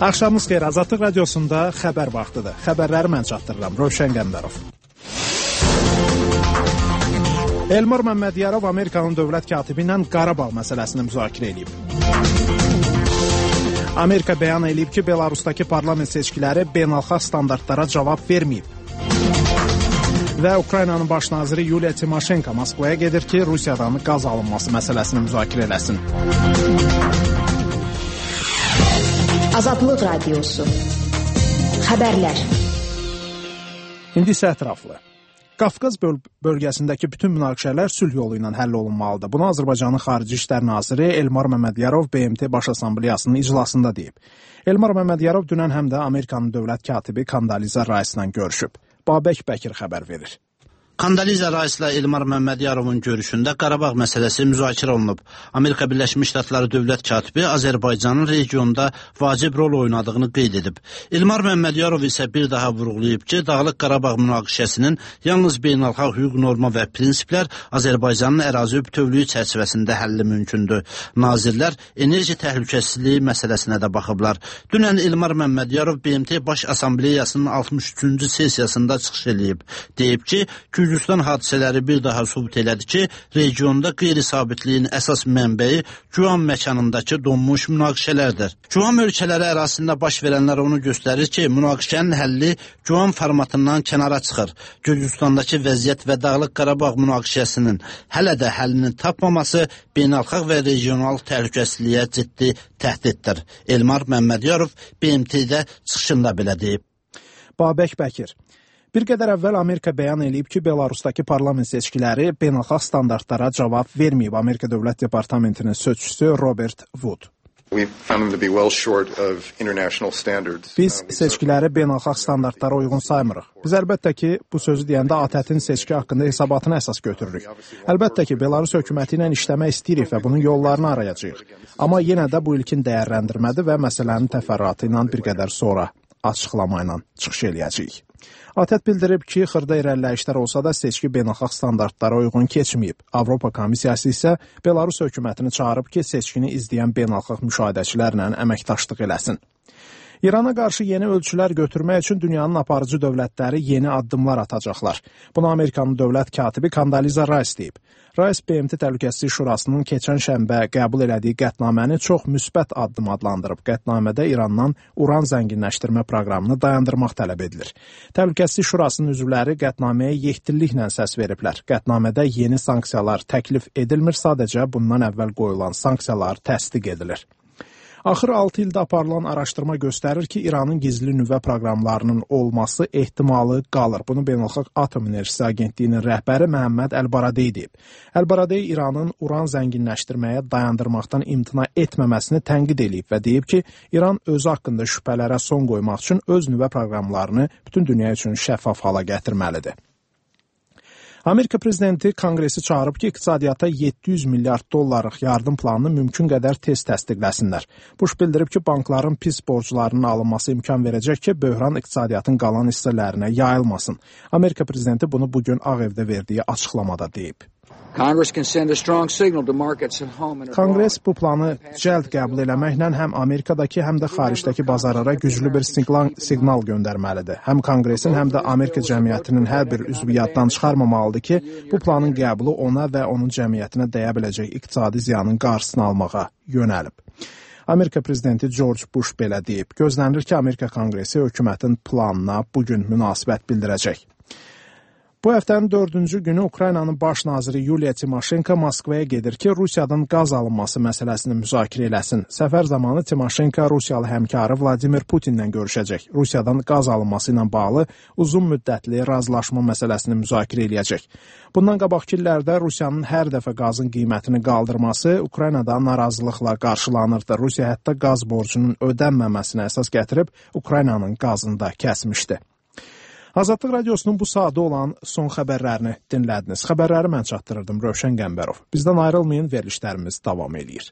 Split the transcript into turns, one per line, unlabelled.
Axşamınız xeyir, Azadlıq Radiosunda xəbər vaxtıdır. Xəbərləri mən çatdırıram, Rövşən Qəmbərov. Elmar Məmmədiyarov Amerikanın dövlət katibi ilə Qarabağ məsələsini müzakirə edib. Amerika bəyan edib ki, Belarusdakı parlament seçkiləri beynəlxalq standartlara cavab verməyib. Və Ukraynanın baş naziri Yuliya Timoşenko Moskvaya gedir ki, Rusiyadan qaz alınması məsələsini müzakirə eləsin.
Azadlıq Radiosu. Xəbərlər.
İndi isə ətraflı. Qafqaz bölgəsindəki bütün münaqişələr sülh yolu ilə həll olunmalıdır. Bunu Azərbaycanın Xarici İşlər Naziri Elmar Məmmədiyarov BMT Baş Assambleyasının iclasında deyib. Elmar Məmmədiyarov dünən həm də Amerikanın dövlət katibi Kondoliza Rice ilə görüşüb. Babək Bəkir xəbər verir.
Kondoliza Rice ilə Elmar Məmmədiyarovun görüşündə Qarabağ məsələsi müzakirə olunub. Amerika Birləşmiş Ştatları dövlət katibi Azərbaycanın regionda vacib rol oynadığını qeyd edib. Elmar Məmmədiyarov isə bir daha vurğulayıb ki, Dağlıq Qarabağ münaqişəsinin yalnız beynəlxalq hüquq norma və prinsiplər Azərbaycanın ərazi bütövlüyü çərçivəsində həlli mümkündür. Nazirlər enerji təhlükəsizliyi məsələsinə də baxıblar. Dünən Elmar Məmmədiyarov BMT Baş Assambleyasının 63-cü sessiyasında çıxış edib. Deyib ki, Gürcüstan hadisələri bir daha sübut elədi ki, regionda qeyri-sabitliyin əsas mənbəyi Guam məkanındakı donmuş münaqişələrdir. Guam ölkələri ərazisində baş verənlər onu göstərir ki, münaqişənin həlli Guam formatından kənara çıxır. Gürcüstandakı vəziyyət və Dağlıq Qarabağ münaqişəsinin hələ də həllini tapmaması beynəlxalq və regional təhlükəsizliyə ciddi təhdiddir. Elmar Məmmədiyarov BMT-də çıxışında belə deyib.
Babək Bəkir. Bir qədər əvvəl Amerika bəyan edib ki, Belarusdakı parlament seçkiləri beynəlxalq standartlara cavab verməyib. Amerika Dövlət Departamentinin sözçüsü Robert Wood. Biz seçkiləri beynəlxalq standartlara uyğun saymırıq. Biz əlbəttə ki, bu sözü deyəndə ATƏT-in seçki haqqında hesabatını əsas götürürük. Əlbəttə ki, Belarus hökuməti ilə işləmək istəyirik və bunun yollarını arayacağıq. Amma yenə də bu ilkin dəyərləndirmədir və məsələnin təfərrüatı ilə bir qədər sonra açıqlama ilə çıxış eləyəcəyik. ATƏT bildirib ki, xırda irəliləyişlər olsa da seçki beynəlxalq standartlara uyğun keçməyib. Avropa Komissiyası isə Belarus hökumətini çağırıb ki, seçkini izləyən beynəlxalq müşahidəçilərlə əməkdaşlıq eləsin. İrana qarşı yeni ölçülər götürmək üçün dünyanın aparıcı dövlətləri yeni addımlar atacaqlar. Bunu Amerikanın dövlət katibi Kondoliza Rice deyib. Rice BMT Təhlükəsizlik Şurasının keçən şənbə qəbul elədiyi qətnaməni çox müsbət addım adlandırıb. Qətnamədə İrandan uran zənginləşdirmə proqramını dayandırmaq tələb edilir. Təhlükəsizlik Şurasının üzvləri qətnaməyə yekdilliklə səs veriblər. Qətnamədə yeni sanksiyalar təklif edilmir, sadəcə bundan əvvəl qoyulan sanksiyalar təsdiq edilir. Axır 6 ildə aparılan araşdırma göstərir ki, İranın gizli nüvə proqramlarının olması ehtimalı qalır. Bunu Beynəlxalq Atom Enerjisi Agentliyinin rəhbəri Məhəmməd Əl-Baradey deyib. Əl-Baradey İranın uran zənginləşdirməyə dayandırmaqdan imtina etməməsini tənqid edib və deyib ki, İran özü haqqında şübhələrə son qoymaq üçün öz nüvə proqramlarını bütün dünya üçün şəffaf hala gətirməlidir. Amerika prezidenti Konqresi çağırıb ki, iqtisadiyyata 700 milyard dollarlıq yardım planını mümkün qədər tez təsdiqləsinlər. Bush bildirib ki, bankların pis borclarının alınması imkan verəcək ki, böhran iqtisadiyyatın qalan hissələrinə yayılmasın. Amerika prezidenti bunu bugün Ağ Evdə verdiyi açıqlamada deyib. Konqres bu planı cəld qəbul eləməklə həm Amerikadakı, həm də xaricdəki bazarlara güclü bir siqnal göndərməlidir. Həm Konqresin, həm də Amerika cəmiyyətinin hər bir üzvü yaddan çıxarmamalıdır ki, bu planın qəbulu ona və onun cəmiyyətinə dəyə biləcək iqtisadi ziyanın qarşısını almağa yönəlib. Amerika prezidenti George Bush belə deyib. Gözlənilir ki, Amerika Konqresi hökumətin planına bugün münasibət bildirəcək. Bu həftənin 4-cü günü Ukraynanın baş naziri Yuliya Timoşenko Moskvaya gedir ki, Rusiyadan qaz alınması məsələsini müzakirə eləsin. Səfər zamanı Timoşenko Rusiyalı həmkarı Vladimir Putinlə görüşəcək. Rusiyadan qaz alınması ilə bağlı uzun müddətli razılaşma məsələsini müzakirə eləyəcək. Bundan qabaqki illərdə Rusiyanın hər dəfə qazın qiymətini qaldırması Ukraynada narazılıqla qarşılanırdı. Rusiya hətta qaz borcunun ödənməməsinə əsas gətirib Ukraynanın qazını da kəsmişdi. Azadlıq Radiosunun bu saatda olan son xəbərlərini dinlədiniz. Xəbərləri mən çatdırırdım, Rövşən Qəmbərov. Bizdən ayrılmayın, verilişlərimiz davam edir.